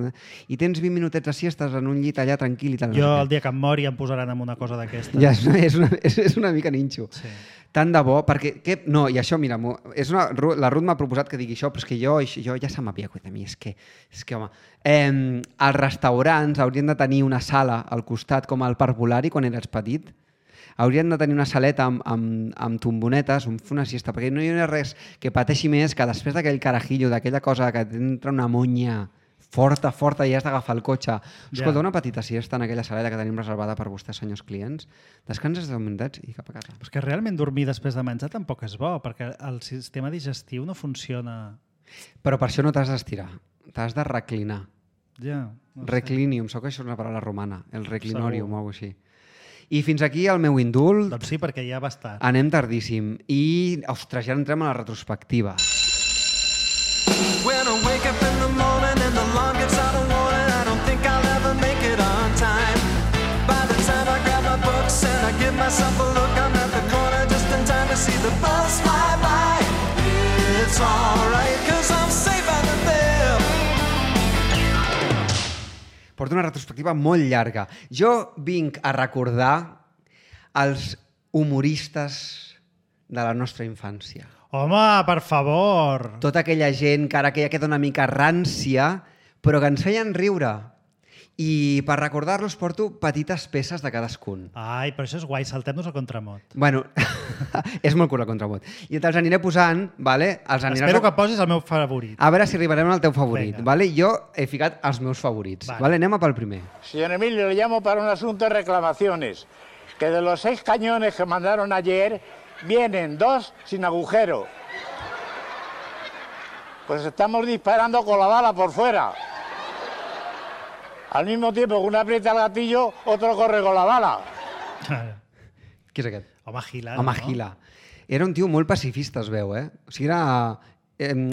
i tens 20 minutets de siestes en un llit allà tranquil i tal. Jo el dia que em mori em posaran en una cosa d'aquesta. Ja, és una mica ninxo. Sí. Tant de bo, perquè... No, i això, mira, la Ruth m'ha proposat que digui això, però és que jo ja se m'havia cuidat a mi, és que home... Els restaurants haurien de tenir una sala al costat, com al Parvulari, quan eres petit, haurien de tenir una saleta amb tombonetes on fer una siesta, perquè no hi ha res que pateixi més que després d'aquell carajillo, d'aquella cosa que t'entra una monya forta i has d'agafar el cotxe. Escolta, una petita siesta en aquella saleta que tenim reservada per vostès, senyors clients, descanses 10 minutets i cap a casa. Però és que realment dormir després de menjar tampoc és bo, perquè el sistema digestiu no funciona... Però per això no t'has d'estirar, t'has de reclinar. Ja. Reclinium, sóc que això és una paraula romana, el reclinorium o alguna cosa així. I fins aquí el meu indult. Doncs sí, perquè ja va estar. Anem tardíssim. I, ostres, ja entrem a la retrospectiva. When I wake up in the morning and the alarm gets out of warning, I don't think I'll ever make it on time. By the time I grab my books and I give myself a look, I'm at the corner just in time to see the bus fly by. It's alright, 'cause I'm safe out of there. Porto una retrospectiva molt llarga. Jo vinc a recordar els humoristes de la nostra infància. Home, per favor! Tota aquella gent que ara que ja queda una mica rància, però que ens feien riure. I per recordar-los porto petites peces de cadascun. Ai, però això és guai, saltem-nos al contramot. Bueno, és molt curt el contramot. I te'ls aniré posant, vale? Espero que posis el meu favorit. A veure si arribarem al teu favorit. Venga. Vale? Jo he ficat els meus favorits. Vale. Anem pel primer. Señor Emilio, le llamo para un asunto de reclamaciones. Que de los 6 cañones que mandaron ayer, vienen 2 sin agujero. Pues estamos disparando con la bala por fuera. Al mismo tiempo que uno aprieta el gatillo, otro corre con la bala. Qui és aquest? Home Gila, Home Gila. Era un tio molt pacifista, es veu, eh? O sigui, era...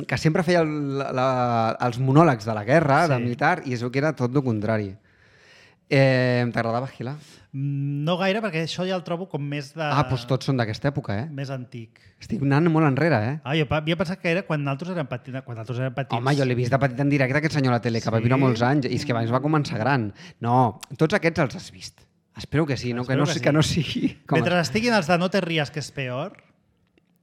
que sempre feia els monòlegs de la guerra, de militar, i es veu que era tot el contrari. T'agradava Gila? No gaire, perquè això ja el trobo com més de... Doncs tots són d'aquesta època, eh? Més antic. Estic anant molt enrere, eh? Jo havia pensat que era quan nosaltres érem petits. Home, jo l'he vist de petit en directe, aquest senyor a la tele, que va viure molts anys, i és que abans va començar gran. No, tots aquests els has vist. Espero que sí, no? Que no sigui... Mentre estiguin els de No te ries, que és peor,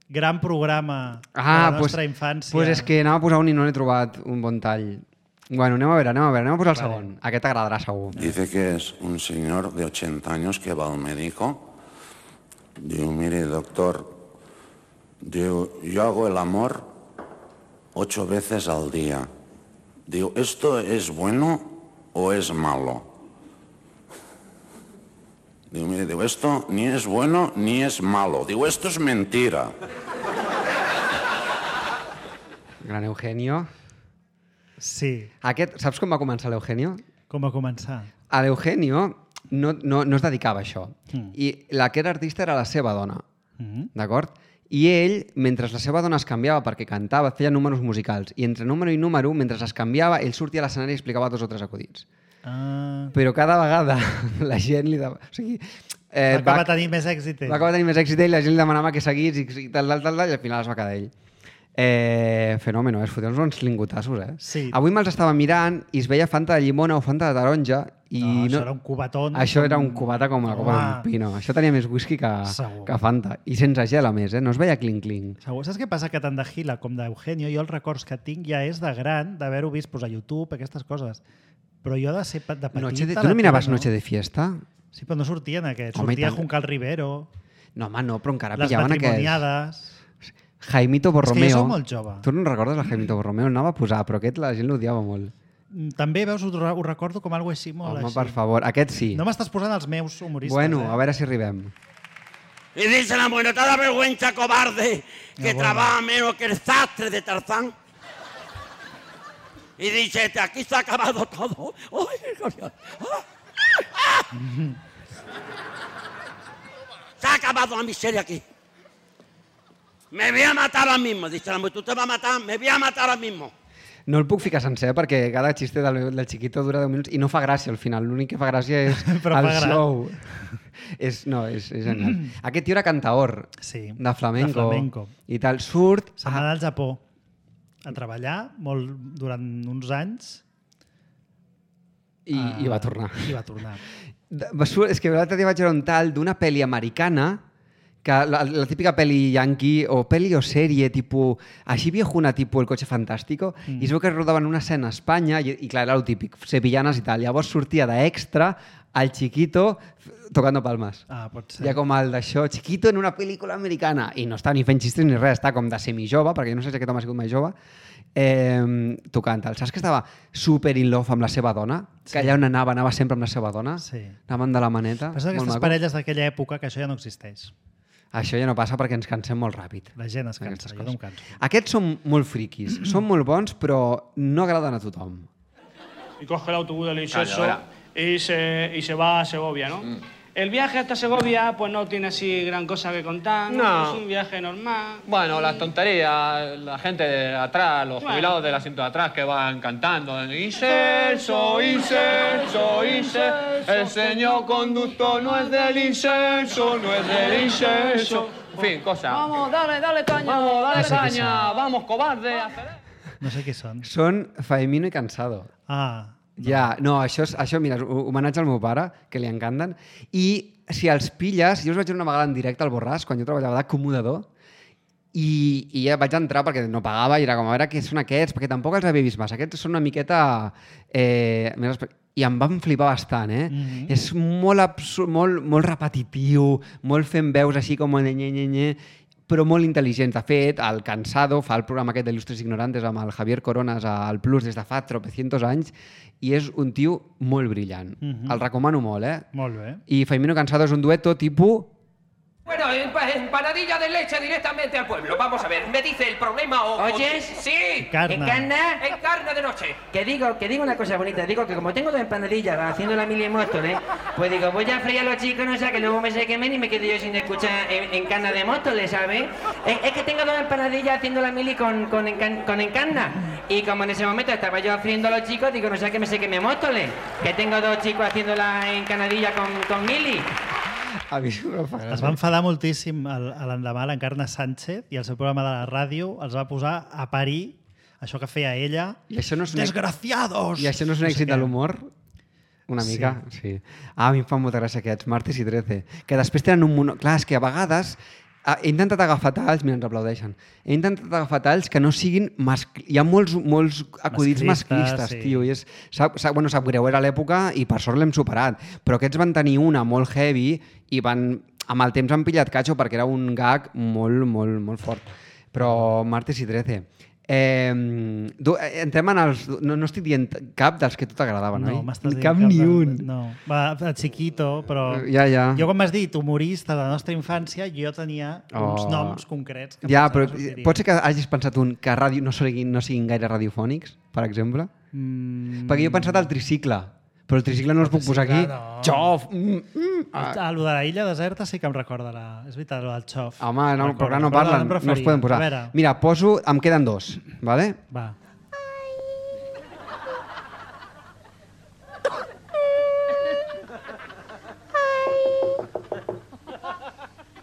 gran programa de la nostra infància. Doncs és que anava a posar un i no l'he trobat un bon tall. Bueno, anem a posar el segon. Aquest t'agradarà segur. Dice que es un señor de 80 años que va al médico. Digo, mire, doctor, digo, yo hago el amor 8 veces al día. Digo, ¿esto es bueno o es malo? Digo, mire, esto ni es bueno ni es malo. Digo, esto es mentira. Gran Eugenio. Sí. Saps com va començar l'Eugenio? Com va començar? L'Eugenio no es dedicava a això. I la que era artista era la seva dona. D'acord? I ell, mentre la seva dona es canviava perquè cantava, feia números musicals. I entre número i número, mentre es canviava, ell sortia a l'escenari i explicava 2 o 3 acudits. Però cada vegada la gent li... O sigui, va acabar tenint més èxit ell. Va acabar tenint més èxit ell, la gent li demanava que seguís i tal, i al final es va quedar ell. Fenòmeno, es foten uns lingotassos, Sí. Avui me'ls estava mirant i es veia Fanta de llimona o Fanta de taronja i això era un cubatón. Això era un cubata com la copa d'un pino. Això tenia més whisky que Fanta. I sense gel, a més, no es veia clink-clink. Segur. Saps què passa? Que tant de Gila com d'Eugenio, jo els records que tinc ja és de gran, d'haver-ho vist a YouTube, aquestes coses. Però jo de ser de petita... Tu no miraves Noche de Fiesta? Sí, però no sortien aquests. Sortia Juncal Rivero. No, home, no, però encara les pillaven aquests. Les matrimoniades. Jaimito Borromeo. És que jo soc molt jove. Tu no recordes el Jaimito Borromeo? El anava a posar, però aquest la gent l'odiava molt. També, veus, ho recordo com algo així, molt així. Home, per favor, aquest sí. No m'estàs posant els meus humoristes. Bueno, a veure si arribem. Y dice la mujer, no te da vergüenza, cobarde, que trabaja menos que el sastre de Tarzán. Y dice, aquí se ha acabado todo. Se ha acabado la miseria aquí. Me voy a matar ahora mismo, dice la mujer. Tú te vas a matar, me voy a matar ahora mismo. No el puc ficar sencer perquè cada xiste del Chiquito dura 10 minuts i no fa gràcia al final. L'únic que fa gràcia és el show. És genial. Aquest tio era cantaor de flamenco i tal. Surt... Se'n va anar al Japó a treballar durant uns anys i va tornar. I va tornar. És que l'altre dia vaig veure un tal d'una pel·li americana que la típica pel·li yankee o pel·li o sèrie tipus així viejuna, tipus El coche fantástico, i es veu que rodaven una escena a Espanya i clar, era el típic, sevillanes i tal. Llavors sortia d'extra al Chiquito tocando palmes. Pot ser. Ja com el d'això, Chiquito en una pel·lícula americana. I no està ni fent xistes ni res, està com de semijove, perquè jo no sé si aquest home ha sigut mai jove, tocant el. Saps que estava super in love amb la seva dona? Que allà on anava sempre amb la seva dona? Sí. Anaven de la maneta. Però aquestes parelles d'aquella època que això ja no existeix. Això ja no passa perquè ens cansem molt ràpid. La gent es cansa, jo no em canso. Aquests són molt friquis, són molt bons, però no agraden a tothom. Y coge el autobús del Inserso y se va a Segovia, ¿no? El viaje hasta Segovia pues no tiene así gran cosa que contar, ¿no? Es un viaje normal. Bueno, las tonterías, la gente de atrás, los jubilados del asiento de atrás que van cantando. Inserso, Inserso, Inserso, el señor conductor no es del Inserso, no es del Inserso. En fin, cosas. Vamos, dale caña, vamos, dale caña, vamos, cobarde. No sé què són. Són Faemino i Cansado. Ja, no, això mira, homenatge al meu pare, que li encanten, i si els pilles, jo us vaig veure una vegada en directe al Borràs, quan jo treballava d'acomodador, i ja vaig entrar perquè no pagava i era com a veure què són aquests, perquè tampoc els havia vist massa. Aquests són una miqueta... I em van flipar bastant, És molt absurd, molt repetitiu, molt fent veus així com però molt intel·ligents. De fet, el Cansado fa el programa aquest d'Il·lustres Ignorantes amb el Javier Coronas al Plus des de fa tropecientos anys i és un tio molt brillant. El recomano molt, Molt bé. I Faemino Cansado és un dueto tipus... Bueno, empanadilla de leche directamente al pueblo. Vamos a ver, me dice el problema o... ¿Oyes? Sí. ¿Encarna? Encarna de noche. Que digo una cosa bonita. Digo que como tengo 2 empanadillas haciendo la mili en Móstoles, pues digo, voy a freír a los chicos, no sé, que luego me se quemen y me quedo yo sin escuchar Encarna de Móstoles, ¿sabes? Es que tengo 2 empanadillas haciendo la mili con Encarna. Y como en ese momento estaba yo friendo a los chicos, digo, no sé, que me se queme Móstoles. Que tengo 2 chicos haciendo la encanadilla con mili. A mi no fa gràcia. Es va enfadar moltíssim l'endemà l'Encarna Sánchez i el seu programa de la ràdio els va posar a parir això que feia ella. I això no és Desgraciados! I això no és un èxit de l'humor? Una mica, sí. A mi em fan molta gràcia aquests, Martes i 13, que després tenen un mono... Clar, és que a vegades he intentat agafar talls, mira, ens aplaudeixen, he intentat agafar talls que no siguin... Hi ha molts acudits masclistes, tio, i sap greu, era l'època i per sort l'hem superat, però aquests van tenir una molt heavy i amb el temps han pillat catxo perquè era un gag molt fort. Però Martes i 13... entrem en els... No estic dient cap dels que a tu t'agradaven, oi? No, m'estàs dient cap ni un. No, va, Chiquito, però... Ja. Jo, com m'has dit, humorista de la nostra infància, jo tenia uns noms concrets. Ja, però pot ser que hagis pensat que a ràdio no siguin gaire radiofònics, per exemple? Perquè jo he pensat al tricicle. Però el tricicle no els puc posar aquí. Xof! El de la illa deserta sí que em recorda és veritat, el del xof. Home, no, però clar, no parlen, no els poden posar. Mira, em queden 2, vale? Va.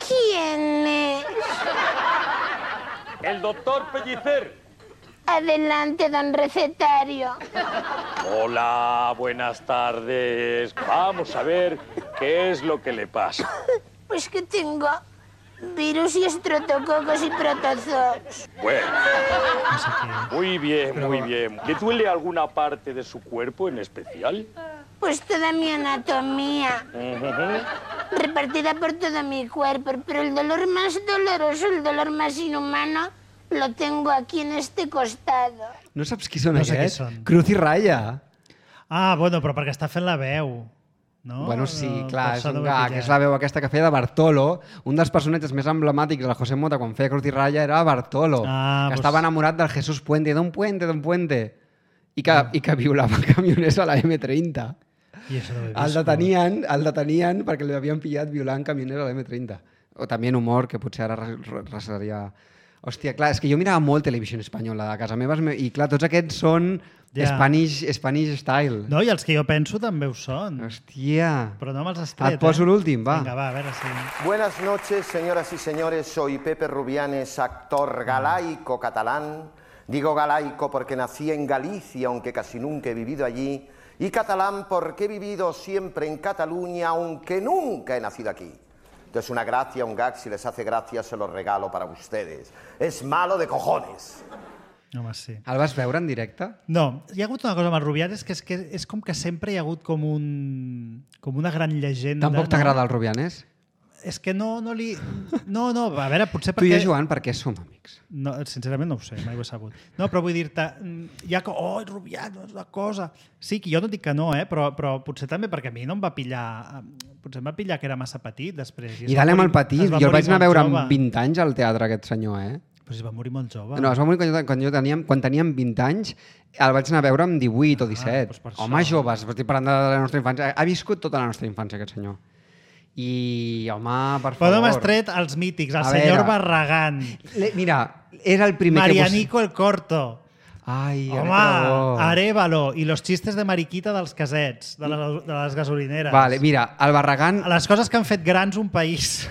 ¿Quién es? El doctor Pellicer. Adelante, don recetario. Hola, buenas tardes. Vamos a ver qué es lo que le pasa. Pues que tengo virus y estreptococos y protozoos. Bueno, muy bien, muy bien. ¿Le duele alguna parte de su cuerpo en especial? Pues toda mi anatomía, repartida por todo mi cuerpo, pero el dolor más doloroso, el dolor más inhumano, lo tengo aquí en este costado. No saps qui són aquests? Cruz i Raya. Ah, bueno, però perquè està fent la veu. No? Bueno, sí, clar, és un gag. És la veu aquesta que feia de Bartolo. Un dels personatges més emblemàtics del José Mota quan feia Cruz i Raya era Bartolo, que estava enamorat del Jesús Puente, d'un puente, i que violava camioners a la M30. El detenien perquè l'havien pillat violant camioners a la M30. O també en humor, que potser ara seria... Hòstia, clar, és que jo mirava molt televisió espanyola a casa meva i clar, tots aquests són Spanish style. No, i els que jo penso també ho són. Hòstia. Però no me'ls has tret, Et poso l'últim, va. Vinga, va, a veure si... Buenas noches, señoras y señores. Soy Pepe Rubianes, actor galaico catalán. Digo galaico porque nací en Galicia, aunque casi nunca he vivido allí. Y catalán porque he vivido siempre en Cataluña, aunque nunca he nacido aquí. Entonces una gracia, un gag, si les hace gracia, se los regalo para ustedes. Es malo de cojones. Home, sí. El vas veure en directe? No, hi ha hagut una cosa amb el Rubianes que és com que sempre hi ha hagut com una gran llegenda. Tampoc t'agrada el Rubianes? És que no li... No, a veure, potser perquè... Tu i jo, Joan, per què som amics? No, sincerament no ho sé, mai ho he sabut. No, però vull dir-te, hi ha... Oh, Rubianes, una cosa... Sí, que jo no dic que no, però potser també perquè a mi no em va pillar... Potser em va pillar que era massa petit, després. I dale amb el petit. Jo el vaig anar a veure amb 20 anys al teatre, aquest senyor, Però es va morir molt jove. No, es va morir quan teníem 20 anys, el vaig anar a veure amb 18 o 17. Home, joves, estic parlant de la nostra infància. Ha viscut tota la nostra infància, aquest senyor. I, home, per favor... Però no m'has tret els mítics, el senyor Barragán. Mira, era el primer Marianico el Corto. Ai, home, Arévalo i los chistes de mariquita dels casets, de les gasolineres. Vale, mira, el Barragán... Les coses que han fet grans un país.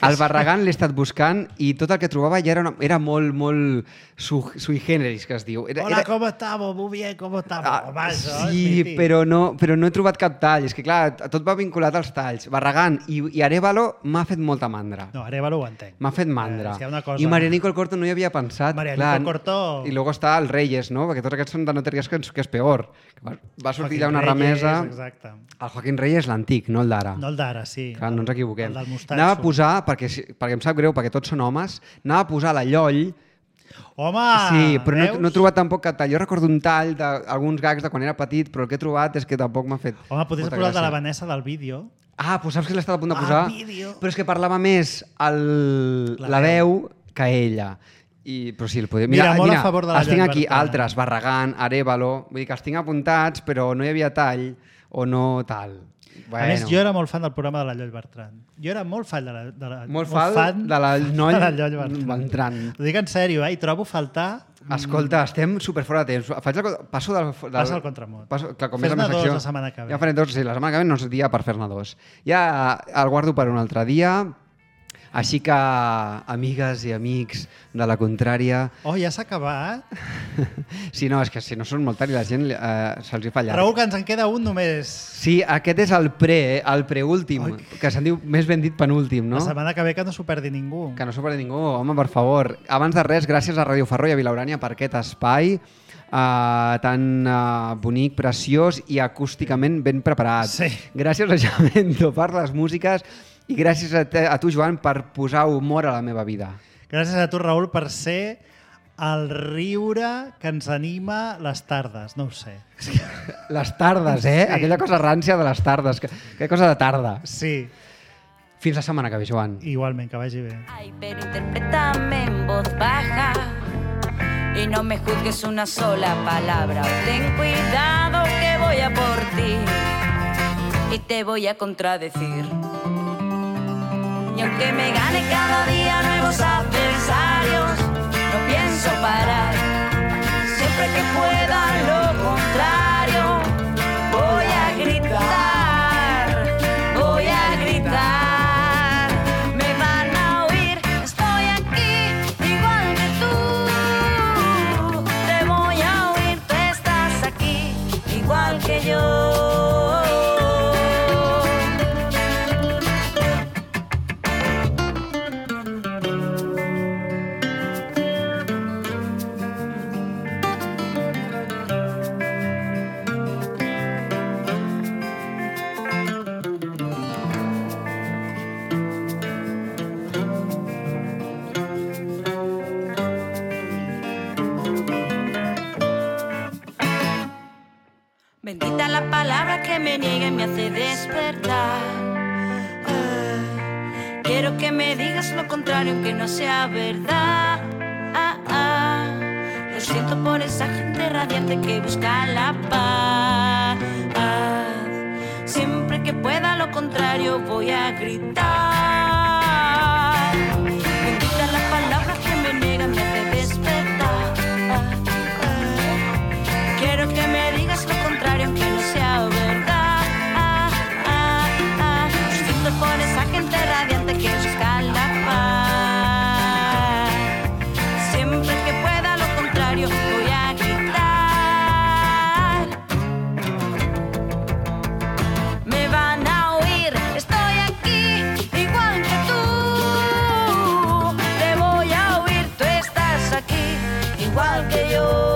El Barragán l'he estat buscant i tot el que trobava ja era molt sui generis, que es diu. Hola, ¿cómo estamos? Muy bien, ¿cómo estamos? Sí, però no he trobat cap tall. És que, clar, tot va vinculat als talls. Barragán i Arévalo m'ha fet molta mandra. No, Arévalo ho entenc. M'ha fet mandra. I Marianico el Corto no hi havia pensat. Marianico el Corto... I luego està el Reyes, no? Perquè tots aquests són de no te ries que és peor. Va sortir allà una remesa... Exacte. El Joaquín Reyes, l'antic, no el d'ara. No el d'ara, sí. Clar, no ens equivoquem. El del mostatxo. Anava a posar, perquè em sap greu, perquè tots són homes, anava a posar la Lloll. Home! Sí, però no he trobat tampoc cap tall. Jo recordo un tall d'alguns gags de quan era petit, però el que he trobat és que tampoc m'ha fet... Home, podries posar el de la Vanessa del vídeo. Ah, doncs saps que l'he estat a punt de posar? Però és que parlava més la veu que ella. Però sí, el podria... Mira, molt a favor de la els tinc aquí altres, Barragán, Arévalo, vull dir que els tinc apuntats, però no hi havia tall o no tal. A més, jo era molt fan del programa de la Lloll Bertran. Jo era molt fan de la Lloll Bertran. Ho dic en sèrio, i trobo faltar... Escolta, estem super fora de temps. Passo Passa al contramot. Fes-ne dos la setmana que ve. Ja faré dos, sí, la setmana que ve no és dia per fer-ne dos. Ja el guardo per un altre dia. Així que, amigues i amics de la contrària... Oh, ja s'ha acabat? Sí, no, és que si no són molt tard i la gent se'ls hi fa llarg. Raül, que ens en queda un només. Sí, aquest és el preúltim, que se'n diu més ben dit penúltim, no? La setmana que ve que no s'ho perdi ningú. Que no s'ho perdi ningú, home, per favor. Abans de res, gràcies a Ràdio Ferró i a Vilaurània per aquest espai tan bonic, preciós i acústicament ben preparat. Sí. Gràcies a Jamento per les músiques i gràcies a tu, Joan, per posar humor a la meva vida. Gràcies a tu, Raül, per ser el riure que ens anima les tardes. No ho sé. Les tardes, eh? Sí. Aquella cosa rància de les tardes. Aquella cosa de tarda. Sí. Fins la setmana que ve, Joan. Igualment, que vagi bé. Ay, pero interprétame en voz baja. y no me juzgues una sola palabra. Ten cuidado que voy a por ti y te voy a contradecir. Y aunque me gane cada día nuevos adversarios, no pienso parar. Siempre que pueda lo contrario, voy a gritar, voy a gritar. Me van a oír, estoy aquí, igual que tú. Te voy a oír, tú estás aquí, igual que yo. Bendita la palabra que me niega y me hace despertar. Quiero que me digas lo contrario aunque no sea verdad. Lo siento por esa gente radiante que busca la paz. Siempre que pueda lo contrario voy a gritar. Bendita la palabra que me niega y me hace despertar. Quiero que me digas lo contrario aunque no sea verdad. Lo siento por esa gente radiante que busca la paz. Siempre que pueda lo contrario voy a gritar. Me van a oír, estoy aquí, igual que tú. Te voy a oír, tú estás aquí, igual que yo.